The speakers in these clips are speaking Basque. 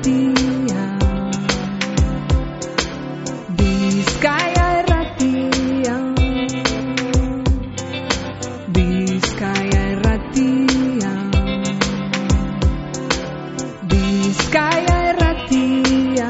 Irratia, Bizkaia Irratia, Bizkaia Irratia, Bizkaia Irratia.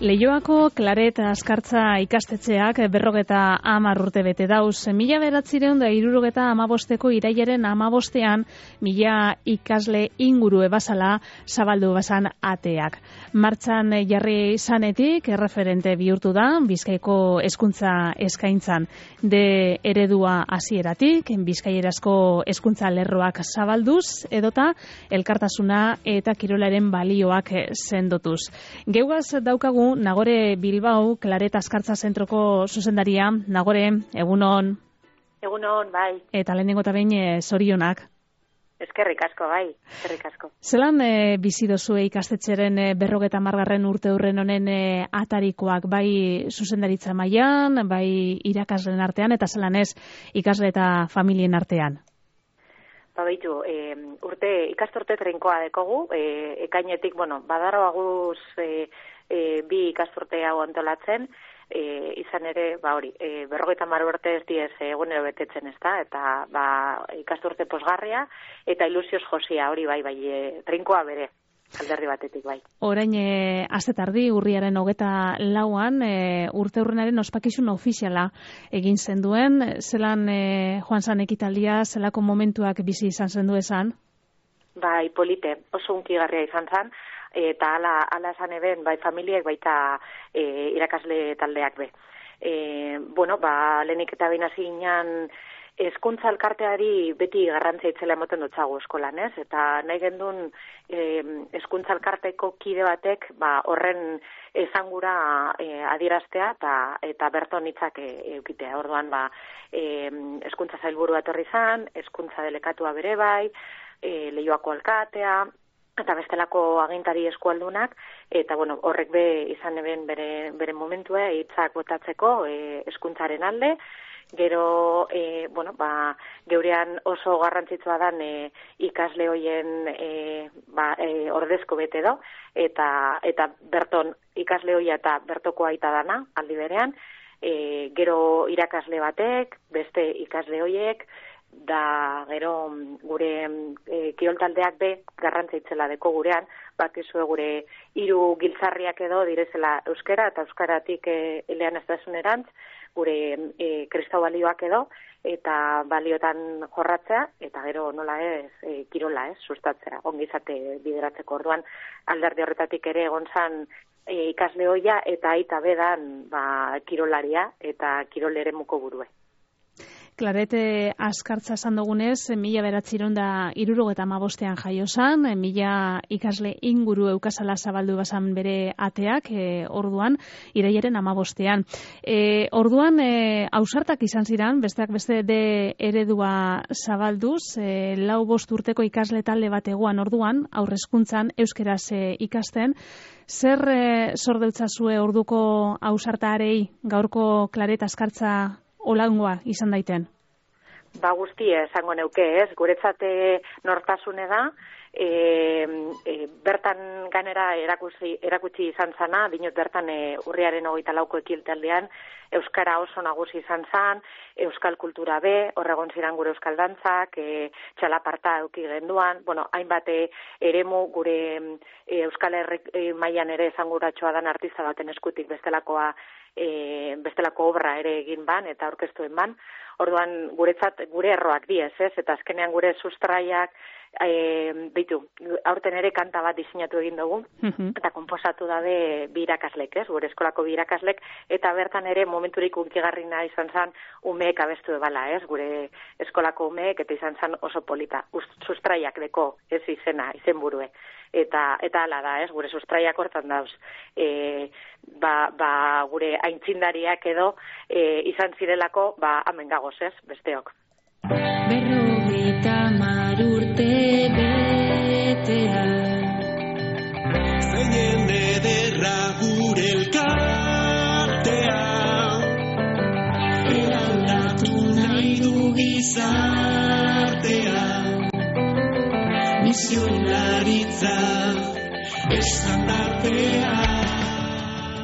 Leioako Klaret Askartza ikastetxeak 50 urte bete dauz. 1975ko irailaren 15ean 1000 ikasle inguru ebazala zabaldu bazan ateak. Martxan jarri zanetik erreferente bihurtu da Bizkaiko hezkuntza eskaintzan. De eredua hasieratik bizkaierazko hezkuntza lerroak zabalduz edota elkartasuna eta kirolaren balioak sendotuz. Geugaz daukagu Nagore Bilbao, Klaret Askartza zentroko zuzendaria. Nagore, egunon. Egunon, bai. Eta lehenengo eta behin zorionak. Eskerrik asko, bai. Eskerrik asko. Zelan bizi dozue ikastetxeren 50. urte hurren honen atarikoak, bai zuzendaritza mailan, bai irakasleen artean, eta zelan ez ikasle eta familien artean? Baitu, ikasturte trinkoa dekogu, ekainetik, badaro aguz bi ikasturte hau antolatzen, izan ere, 50 urte ez diez egunero betetzen ez da, eta ikasturte posgarria eta ilusioz josia, hori bai, trinkoa bere, alderdi batetik bai. Orain, astetardi, urriaren 24an, urte hurrenaren ospakizun ofiziala egin zenduen, zelan joan zan ekitaldia, zelako momentuak bizi izan zendu esan? Bai, polite, oso unkigarria izan zan, eta ala esan eben, bai familiek baita irakasle taldeak be. Lehenik eta behin hasi ginen hezkuntza elkarteari beti garrantzia itzela emoten dutzagu eskolan, ez? Eta nahi gendun hezkuntza elkarteko kide batek horren esangura adieraztea eta berton hitzak eukitea. Orduan hezkuntza sailburua etorri zan, hezkuntza delekatua bere bai, Leioako alkatea, eta bestelako agintari eskualdunak, eta horrek be izan eben bere momentua hitzak botatzeko hezkuntzaren alde. Gero, geurean oso garrantzitsua dan ikasle hoien ordezko bete do, eta berton ikasle hoia eta bertoko aita dana, aldi berean, gero irakasle batek, beste ikasle hoiek, da gero gure kiroltaldeak be garrantza itzela deko gurean, bakizue gure 3 giltzarriak edo direzela euskara eta euskaratik elean ez dasunerantz, gure kristau balioak edo, eta baliotan jorratzea, eta gero nola ez kirola sustatzea, ongizate bideratzeko. Orduan alderdi horretatik ere egon zan ikasle hoia eta aita bedan kirolaria eta kirol eremuko burue. Klaret Askartza esan dugunez, 1975ean jaio zan, 1000 ikasle inguru eukazala zabaldu bazan bere ateak, orduan, irailaren 15ean. Orduan, ausartak izan ziren, besteak beste de eredua zabalduz, 4-5 urteko ikasle talde bat egoan orduan, aurrezkuntzan, euskeraz ikasten. Zer zordeltzazue orduko ausartarei gaurko Klaret Askartza olangoa izan daiten? Guztia esango neuke, ez? Guretzate nortasune da, bertan ganera erakutsi izan zana, dinot bertan urriaren 24ko ekiltaldean, euskara oso nagusi izan zan, euskal kultura be, horregon ziren gure euskal dantzak, txalaparta euki genduan, hainbat eremu gure euskal mailan ere esanguratxoa dan artista baten eskutik bestelako obra ere egin ban eta aurkeztuen ban. Orduan guretzat gure erroak diez, ez? Eta azkenean gure sustraiak aurten ere kanta bat diseinatu egin dugu, eta konposatu dabe bi irakaslek, ez? Gure eskolako bi irakaslek, eta bertan ere momenturik unkigarrina izan zan umeek abestu ebala, ez? Gure eskolako umeek eta izan zan oso polita. Sustraiak deko, ez izena, izenburue. Eta hala da, ez? Gure sustraiak hortan dauz. Gure aintzindariak edo izan zirelako, hemen gagoz, ez? Besteok. 50 urte betea zeinen ederra gure elkartea eraldatu nahi du gizartea tradizionalitza estandartea.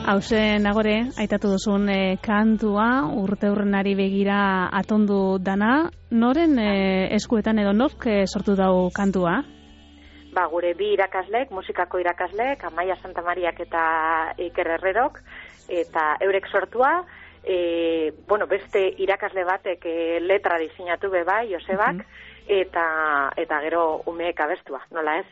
Hauze, Nagore, aitatu duzun kantua, urteurrenari begira atondu dana, noren eskuetan edo nork sortu dau kantua? Gure bi irakaslek, musikako irakaslek, Amaia Santamariak eta Iker Herrerok, eta eurek sortua, beste irakasle batek letra diseinatu bai, Josebak, eta gero umeek abestua, nola ez?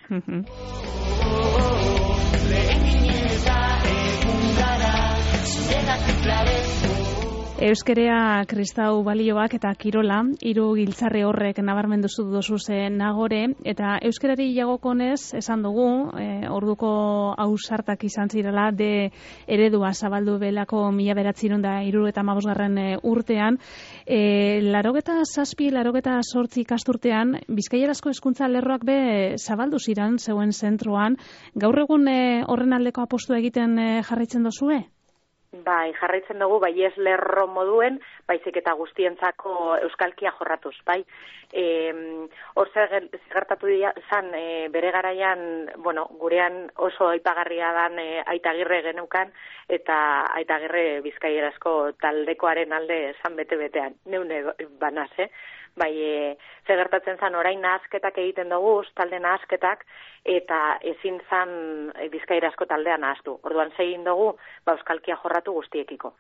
Euskerea, kristau balioak eta kirola, hiru giltzarri horrek nabarmendu duzu Nagore, eta euskerari jagokonez esan dugu, orduko ausartak izan zirela de eredua zabaldu belako 1975 urtean, 87, 88 ikasturtean, Bizkaierazko hezkuntza lerroak be zabaldu ziren zeuen zentroan, gaur egun horren aldeko apostua egiten jarraitzen dozue? Bai, jarraitzen dugu, bai ez lerro moduen, baizik eta guztientzako euskalkia jorratuz, bai. Hor gertatu zan, bere garaian, gurean oso aipagarria dan Aitagirre geneukan, eta Aitagirre Bizkaierazko taldekoaren alde zan bete-betean, neune banaz, Bai, gertatzen zan orain nahasketak egiten dugu, talde nahasketak, eta ezin zan Bizkaierazko taldea nahaztu. Orduan segin dugu, euskalkia jorratu guztiekiko.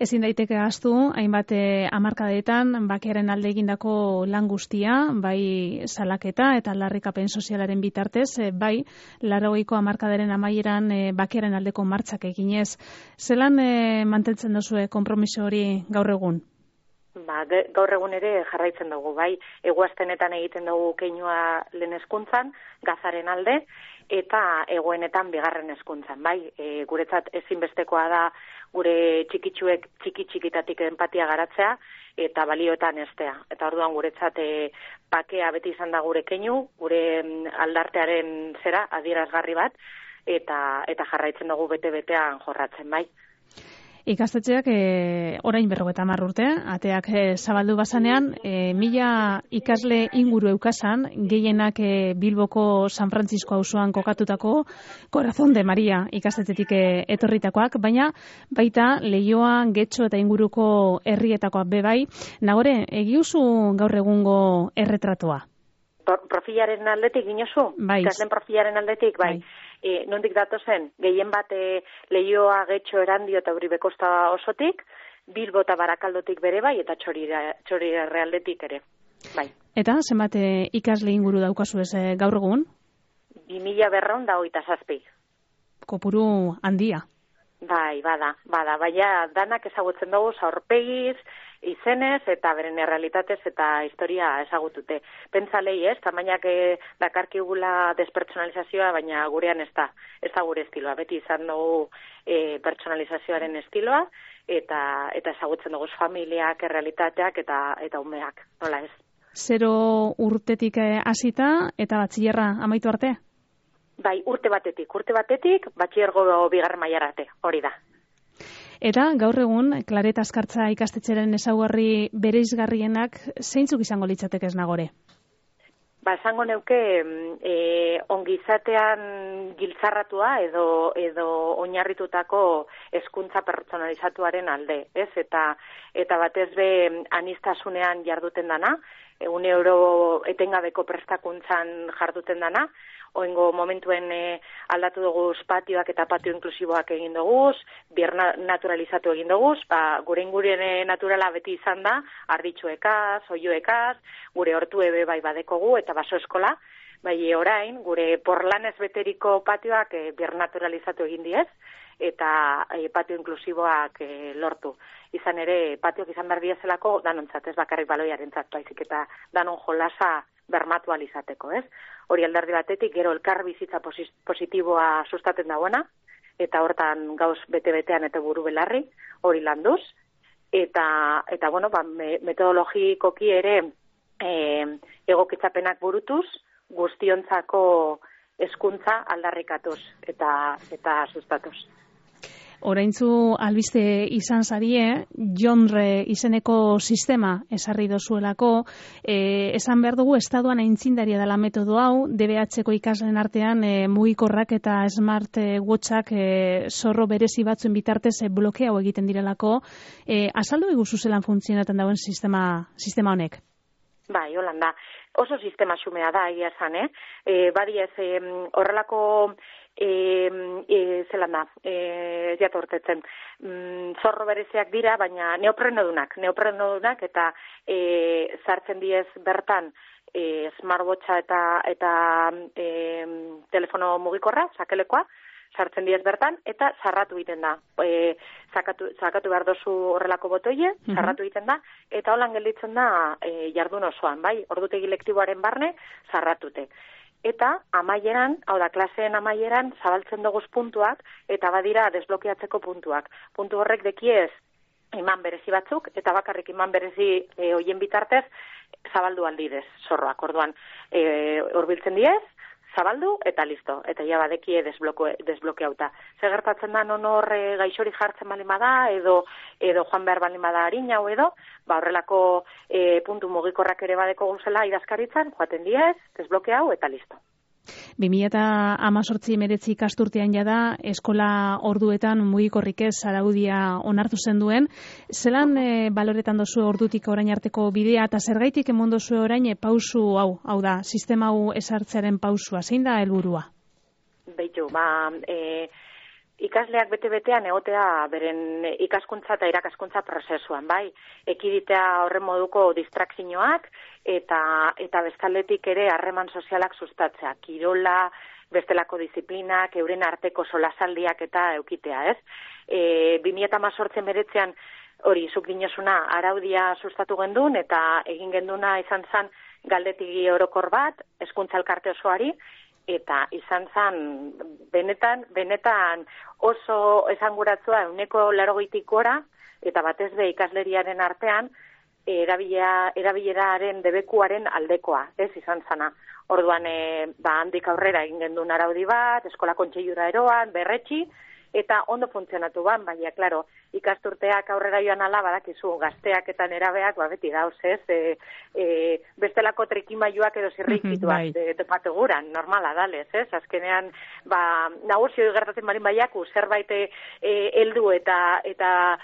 Ezin daiteke ahaztu, hainbat hamarkadetan bakearen alde egindako lan guztia, bai salaketa eta aldarrikapen sozialaren bitartez, bai 80ko hamarkadaren amaieran bakearen aldeko martxak eginez. Zelan mantentzen duzue konpromiso hori gaur egun? Gaur egun ere jarraitzen dugu, bai, eguaztenetan egiten dugu keinua lehen hezkuntzan, gazaren alde, eta egoenetan bigarren hezkuntzan, bai, guretzat ezinbestekoa da gure txikitsuek txiki-txikitatik empatia garatzea, eta balioetan estea. Eta orduan guretzat bakea beti izan da gure keinu, gure aldartearen adierazgarri bat, eta jarraitzen dugu bete-betean jorratzen, bai. Ikastetxeak orain 50 urte, ateak zabaldu bazanean, 1000 ikasle inguru eukasan, gehienak Bilboko San Francisco auzoan kokatutako Corazón de Maria ikastetxetik etorritakoak, baina baita Leioa, Getxo eta inguruko herrietakoak bebai. Nagore, egiuzu gaur egungo erretratua? Profilaren aldetik ginozu? Bai. Ikasleen profilaren aldetik, bai. Nondik datozen, gehien bat Leioa, Getxo, Erandio eta Uribe Kosta osotik, Bilbo eta Barakaldotik bere bai, eta Txorira Realdetik ere, bai. Eta zenbat ikasle inguru daukazu ez gaur egun? 2227. Kopuru handia. Bai, bada, baina danak ezagutzen dugu aurpegiz, izenez eta beren errealitatez eta historia ezagutute. Pentsalei tamainak dakarkigula despertsonalizazioa, baina gurean ez da gure estiloa. Beti izan dugu pertsonalizazioaren estiloa, eta ezagutzen dugu familiak, errealitateak eta umeak, nola ez? 0 urtetik hasita eta batxillerra amaitu arte? Bai, urte batetik, batxillergo bigarren mailara arte, hori da. Eta gaur egun, Klaret Azkartza ikastetxeren ezaugarri bereizgarrienak zeintzuk izango litzatekez Nagore? Esango neuke ongizatean giltzarratua edo oinarritutako hezkuntza pertsonalizatuaren alde, ez? Eta batez be aniztasunean jarduten dana, egunero etengabeko prestakuntzan jarduten dana, oingo momentuen aldatu dugu patioak eta patio inklusiboak egin dugu, bier naturalizatu egin dugu, gure ingurien naturala beti izan da, arditxuekaz, oioekaz, gure hortu ebe bai badekogu eta baso eskola, bai orain, gure porlanez beteriko patioak bier naturalizatu egin diez, eta patio inklusiboak lortu. Izan ere, patioak izan behar diezelako danontzat, ez bakarrik baloiarentzat, baizik eta danon jolasa bermatu alizateko, ez? Hori alderdi batetik, gero elkar bizitza positiboa sustaten dagoena, eta hortan gauz bete-betean eta buru belarri, hori landuz, eta metodologikoki ere egokitzapenak burutuz, guztiontzako hezkuntza aldarrikatuz eta sustatuz. Oraintzu albiste izan zarie, JONRE izeneko sistema esarri dozuelako, esan behar dugu estaduan aintzindaria dela metodo hau, DBH-ko ikasleen artean mugikorrak eta smart watchak zorro berezi batzuen bitartez blokeau egiten direlako. Azaldu iguzu zelan funtzionatzen dauen sistema honek? Bai, Holanda. Oso sistema xumea da, egia esan, Badiez, horrelako zelan da, jatortetzen. Zorro bereziak dira, baina neoprenodunak eta sartzen diez bertan smartwatcha eta telefono mugikorra, sakelekoa, sartzen diez bertan, eta sarratu egiten da. Sakatu behar dozu horrelako botoie, sarratu egiten da, eta holan gelditzen da jardun osoan, bai? Ordutegi lektiboaren barne, sarratute. Eta amaieran, hau da, klaseen amaieran, zabaltzen doguz puntuak, eta badira desblokeatzeko puntuak. Puntu horrek dekiez iman berezi batzuk, eta bakarrik iman berezi hoien bitartez, zabaldu aldidez, zorroak. Orduan, horbiltzen diez, zabaldu eta listo, eta ja badekie desblokeauta. Zer gertatzen da non hor gaixori jartzen balin bada, edo joan behar balin bada harina edo, horrelako puntu mugikorrak ere badeko guzela idazkaritzan, joaten diez, desblokeau eta listo. 2018-19 ikasturtean jada eskola orduetan mugikorrik ez araudia onartu zen duen. Zelan baloretan dozu ordutik orain arteko bidea eta zergaitik emon dozu orain pausu hau da, sistema hau esartzearen pausua, zein da helburua? Beitu, ikasleak bete-betean egotea beren ikaskuntza eta irakaskuntza prozesuan, bai? Ekiditea horren moduko distrakzioak eta bestaldetik ere harreman sozialak sustatzea. Kirola, bestelako disiplinak, euren arteko solasaldiak eta eukitea, ez? 2018-19 hori zuk dinosuna araudia sustatu gendun eta egin genduna izan zen galdetigi orokor bat, hezkuntza elkarte osoari, eta izan zen benetan oso esanguratzua 80% gora, eta batez be ikasleriaren artean erabileraren debekuaren aldekoa, ez izan zana. Orduan, handik aurrera egin gendun araudi bat, eskola kontseilura eroan, berretxi, eta ondo funtzionatu ban, baina, klaro, ikasturteak aurrera joan ala, badakizu, gazteak eta nerabeak, beti dauz, ez, bestelako trikimailuak edo zirrikituak topatu guran, normala dalez, ez, azkenean, nagusio gertatzen barin baiaku, zerbait heldu eta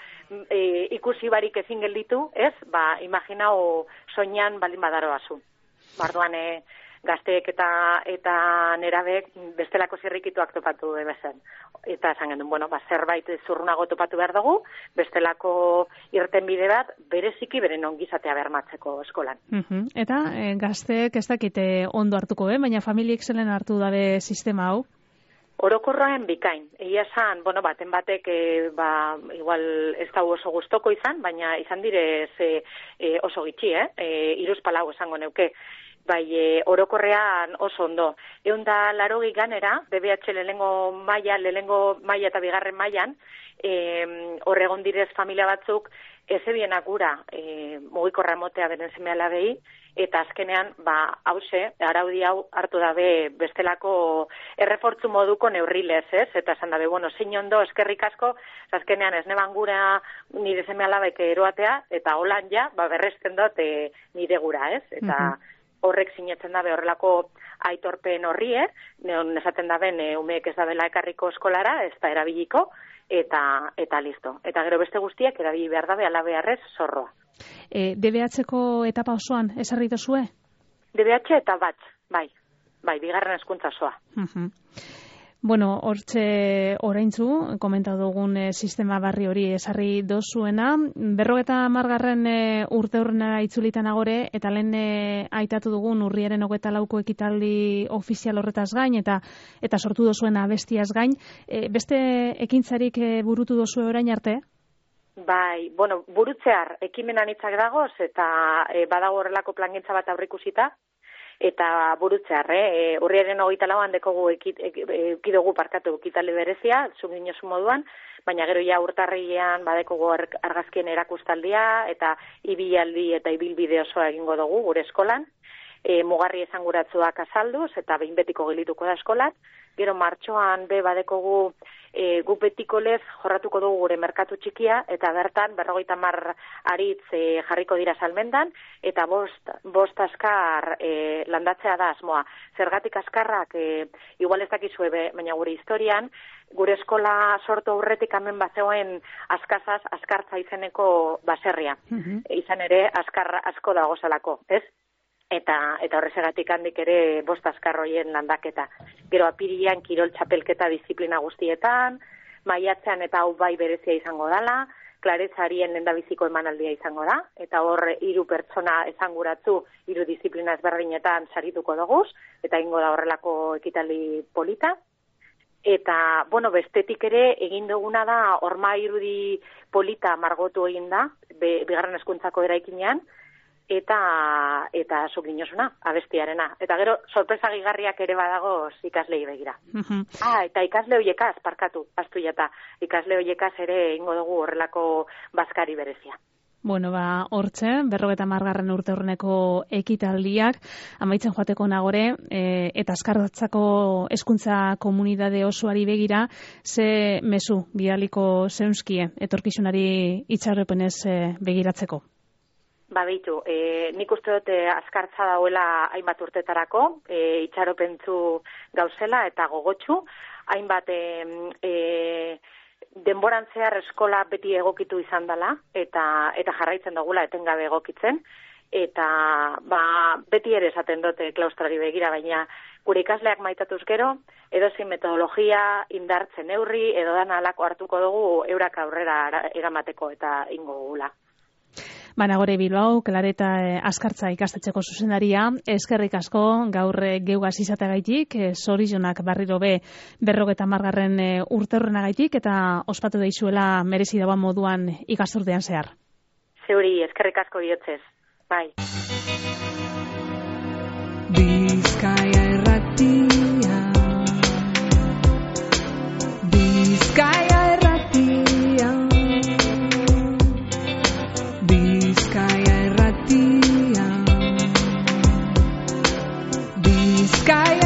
ikusi barik ezin gelditu, ez, imaginau soinan balin badaroazu. Barduan, gazteek eta nerabek bestelako zirrikituak topatu ebezen. Eta esan gendun, zerbait zurrunago topatu behar dugu, bestelako irtenbide bat bereziki beren ongizatea bermatzeko eskolan. Eta gazteek ez dakite ondo hartuko, baina familiek zelen hartu dabe sistema hau? Orokorroen bikain. Egia esan, baten batek igual ez da oso gustoko izan, baina izan direz oso gitxi, 3-4 esango neuke. Bai, orokorrean oso ondo. 180 ganera, DBH lehenengo maila eta bigarren mailan, horregon direz familia batzuk, ezebienak gura mugikorra emotea beren seme-alabei, eta azkenean, araudi hau hartu dabe bestelako errefortzu moduko neurrilez, ez? Eta esan dabe, zein ondo, eskerrik asko, azkenean ez neban gura nire seme-alabek eroatea, eta holan ja, berresten dut nire gura, ez? Eta horrek sinetzen dabe horrelako aitorpen horri, neon esaten daben umeek ez dabela ekarriko eskolara, ez da erabiliko, eta listo. Eta gero beste guztiak erabili behar dabe ala beharrez zorroa. DBH-ko etapa osoan ezarri dozue? DBH eta bat, bai, bigarren hezkuntza osoa. Hortxe oraintzu, komentatu dugun sistema barri hori esarri dozuena. 50. urte horrena itzulitan agore, eta lehen aitatu dugun urriaren 24ko ekitaldi ofizial horretaz gain, eta sortu dozuen abestiaz gain. Beste ekintzarik burutu dozue orain arte? Bai, burutzear ekimenan hitzak dagoz, eta badago horrelako plangintza bat aurrikusita, eta burutzear, urriaren 24an dekogu ekidogu parkatu ekitaldi berezia, zuginozu moduan, baina gero ja urtarrilean badekogu argazkien erakustaldia, eta ibilaldi eta ibilbide osoa egingo dugu gure eskolan, mugarri esanguratsuak azalduz, eta behin betiko gelituko da eskolan, Gero martxoan badekogu guk betiko lez jorratuko dugu gure merkatu txikia, eta bertan 50 aritz jarriko dira salmendan, eta bost askar landatzea da asmoa. Zergatik askarrak, igual ez dakizue, baina gure historian, gure eskola sortu aurretik hemen bazegoen askartza izeneko baserria. Izan ere, askar asko dago zalako, ez? Eta horrezegatik handik ere bost askarroien landaketa. Gero apirian kirol txapelketa disiplina guztietan, maiatzean eta hau bai berezia izango dala, klaretzarien lendabiziko emanaldia izango da, eta hor 3 pertsona esanguratzu 3 disiplina ezberdinetan sarituko doguz, eta ingo da horrelako ekitaldi polita. Eta, bestetik ere egin duguna da, horma irudi polita margotu egin da, bigarren hezkuntzako eraikinean, eta zuk dinosuna, abestiarena. Eta gero, sorpresa gigarriak ere badago ikaslei begira. Eta ikasle hoiekaz, parkatu, astu jata. Ikasle hoiekaz ere ingo dugu horrelako bazkari berezia. Hortxe, 50. urte horreneko ekitaldiak, amaitzen joateko nagore, eta askartzako hezkuntza komunidade osoari begira, ze mezu bidaliko zeunskie, etorkizunari itxaropenez begiratzeko? Beitu, nik uste dut askartza dauela hainbat urtetarako, itxaropentzu gauzela eta gogotsu, hainbat denboran zehar eskola beti egokitu izan dela, eta jarraitzen dugula etengabe egokitzen, eta beti ere esaten dute klaustrari begira, baina gure ikasleak maitatuz gero, edozein metodologia indartzen neurri, edo dan alako hartuko dugu eurak aurrera eramateko eta ingo gugula. Nagore Bilbao, Klareta askartza ikastetxeko zuzendaria, eskerrik asko gaur geugaz izateagaitik, zorionak barriro 50. urte horrenagaitik, eta ospatu daizuela merezi dagoen moduan ikasturtean zehar. Zeuri, eskerrik asko biotzez. Bai. Bizkaia erratia, Bizkaia erratia, Bizkaia erratia, Bizkaia